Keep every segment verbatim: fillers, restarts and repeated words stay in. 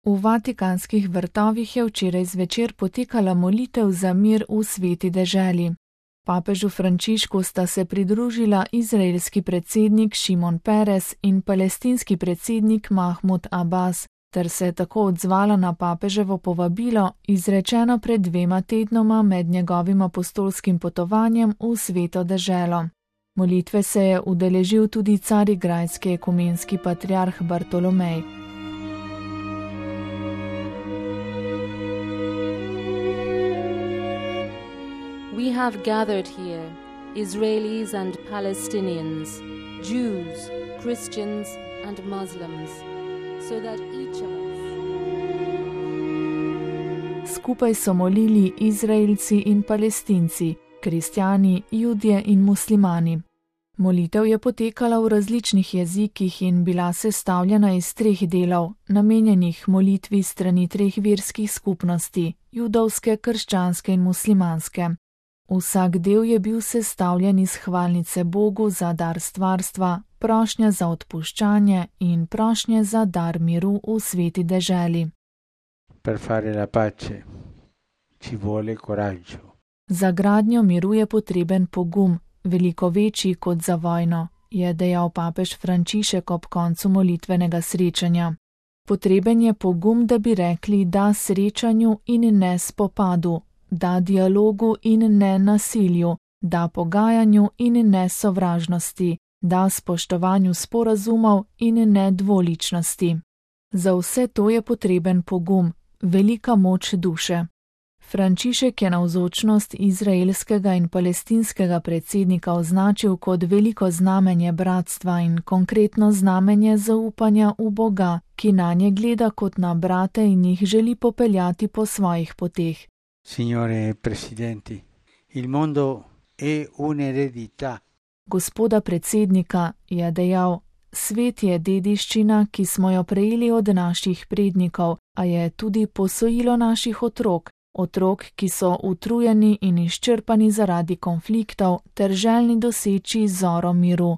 V vatikanskih vrtovih je včeraj zvečer potekala molitev za mir v sveti deželi. Papežu Frančišku sta se pridružila izraelski predsednik Šimon Peres in palestinski predsednik Mahmud Abbas, ter se tako odzvala na papeževo povabilo, izrečeno pred dvema tednoma med njegovim apostolskim potovanjem v sveto deželo. Molitve se je udeležil tudi carigrajski ekumenski patriarh Bartolomej. We have gathered here, Israelis and Palestinians, Jews, Christians and Muslims, so that each of us... Skupaj so molili Izraelci in Palestinci, kristjani, Judje in muslimani. Molitev je potekala v različnih jezikih in bila sestavljena iz treh delov, namenjenih molitvi strani treh verskih skupnosti, judovske, krščanske in muslimanske. Vsak del je bil sestavljen iz hvalnice Bogu za dar stvarstva, prošnje za odpuščanje in prošnje za dar miru v sveti deželi. Per fare la pace ci vuole coraggio. Za gradnjo miru je potreben pogum, veliko večji kot za vojno, je dejal papež Frančišek ob koncu molitvenega srečanja. Potreben je pogum, da bi rekli da srečanju in ne spopadu, da dialogu in ne nasilju, da pogajanju in ne sovražnosti, da spoštovanju sporazumov in ne dvoličnosti. Za vse to je potreben pogum, velika moč duše. Frančišek je navzočnost izraelskega in palestinskega predsednika označil kot veliko znamenje bratstva in konkretno znamenje zaupanja v Boga, ki nanje gleda kot na brate in jih želi popeljati po svojih poteh. Signore presidenti, il mondo è un'eredità. Gospoda predsednika je dejal, svet je dediščina, ki smo jo prejeli od naših prednikov, a je tudi posojilo naših otrok, otrok, ki so utrujeni in izčrpani zaradi konfliktov ter željni doseči zoro miru.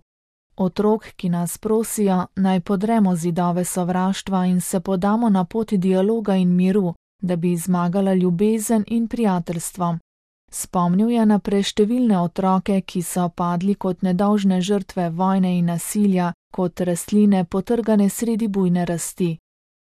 Otrok, ki nas prosijo, naj podremo zidove sovraštva in se podamo na pot dialoga in miru, da bi zmagala ljubezen in prijateljstvo. Spomnil je na preštevilne otroke, ki so padli kot nedolžne žrtve vojne in nasilja, kot rastline potrgane sredi bujne rasti.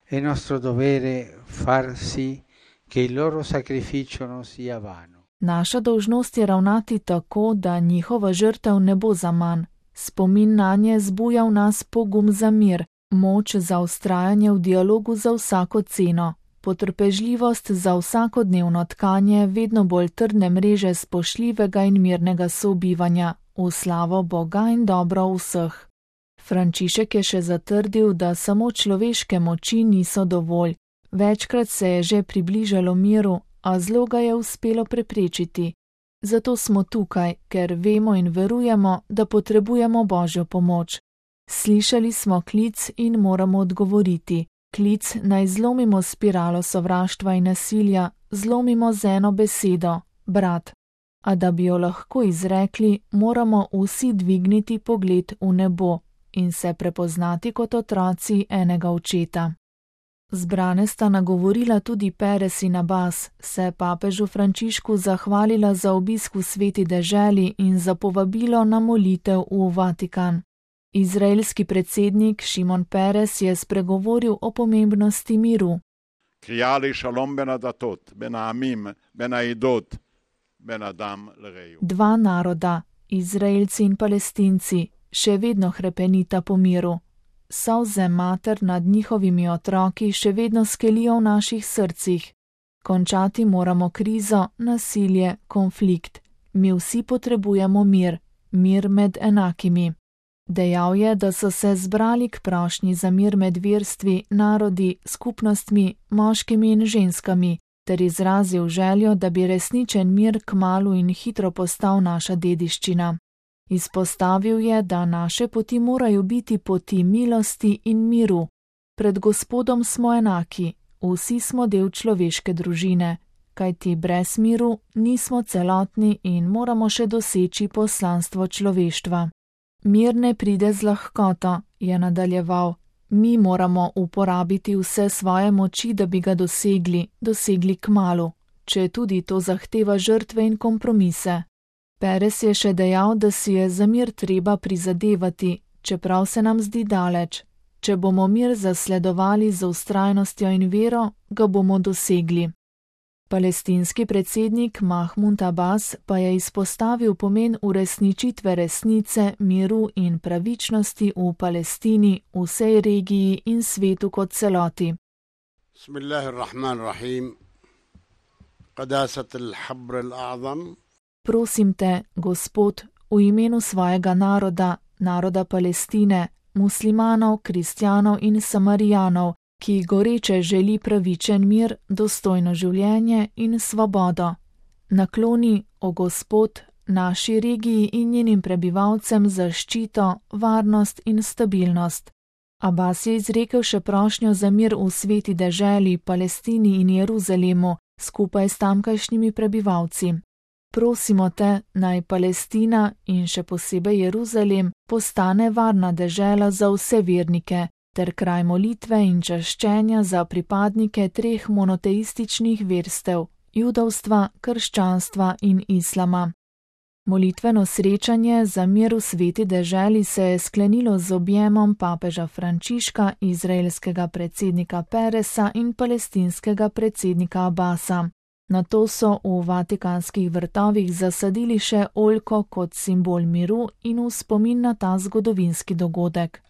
È nostro dovere far sì che il loro sacrificio non sia vano. Naša dolžnost je ravnati tako, da njihova žrtev ne bo zaman. Spomin nanje zbuja v nas pogum za mir, moč za vztrajanje v dialogu za vsako ceno, potrpežljivost za vsakodnevno tkanje vedno bolj trdne mreže spoštljivega in mirnega sobivanja, v slavo Boga in dobro vseh. Frančišek je še zatrdil, da samo človeške moči niso dovolj. Večkrat se je že približalo miru, a zlo ga je uspelo preprečiti. Zato smo tukaj, ker vemo in verujemo, da potrebujemo Božjo pomoč. Slišali smo klic in moramo odgovoriti. Klic naj zlomimo spiralo sovraštva in nasilja, zlomimo z eno besedo, brat. A da bi jo lahko izrekli, moramo vsi dvigniti pogled v nebo in se prepoznati kot otroci enega očeta. Zbrane sta nagovorila tudi Peres in Abbas, se papežu Frančišku zahvalila za obisk v sveti deželi in za povabilo na molitev v Vatikan. Izraelski predsednik Šimon Peres je spregovoril o pomembnosti miru. Dva naroda, Izraelci in Palestinci, še vedno hrepenita po miru. Solze mater nad njihovimi otroki še vedno skelijo v naših srcih. Končati moramo krizo, nasilje, konflikt. Mi vsi potrebujemo mir, mir med enakimi. Dejal je, da so se zbrali k prošnji za mir med verstvi, narodi, skupnostmi, moškimi in ženskami, ter izrazil željo, da bi resničen mir kmalu in hitro postal naša dediščina. Izpostavil je, da naše poti morajo biti poti milosti in miru. Pred Gospodom smo enaki, vsi smo del človeške družine, kajti brez miru nismo celotni in moramo še doseči poslanstvo človeštva. Mir ne pride z lahkoto, je nadaljeval. Mi moramo uporabiti vse svoje moči, da bi ga dosegli, dosegli kmalu, če tudi to zahteva žrtve in kompromise. Peres je še dejal, da si je za mir treba prizadevati, čeprav se nam zdi daleč. Če bomo mir zasledovali z vztrajnostjo in vero, ga bomo dosegli. Palestinski predsednik Mahmud Abbas pa je izpostavil pomen uresničitve resnice, miru in pravičnosti v Palestini, vsej regiji in svetu kot celoti. Bismillahirrahmanirrahim. Qadasat al-habr al-a'zam. Prosim te, Gospod, v imenu svojega naroda, naroda Palestine, muslimanov, kristjanov in samarijanov, ki goreče želi pravičen mir, dostojno življenje in svobodo. Nakloni, o Gospod, naši regiji in njenim prebivalcem zaščito, varnost in stabilnost. Abbas je izrekel še prošnjo za mir v sveti deželi, Palestini in Jeruzalemu, skupaj s tamkajšnjimi prebivalci. Prosimo te, naj Palestina in še posebej Jeruzalem postane varna dežela za vse vernike, ter kraj molitve in čaščenja za pripadnike treh monoteističnih verstev, judovstva, krščanstva in islama. Molitveno srečanje za mir v sveti deželi se je sklenilo z objemom papeža Frančiška, izraelskega predsednika Peresa in palestinskega predsednika Abbasa. Nato so v vatikanskih vrtovih zasadili še oljko kot simbol miru in v spomin na ta zgodovinski dogodek.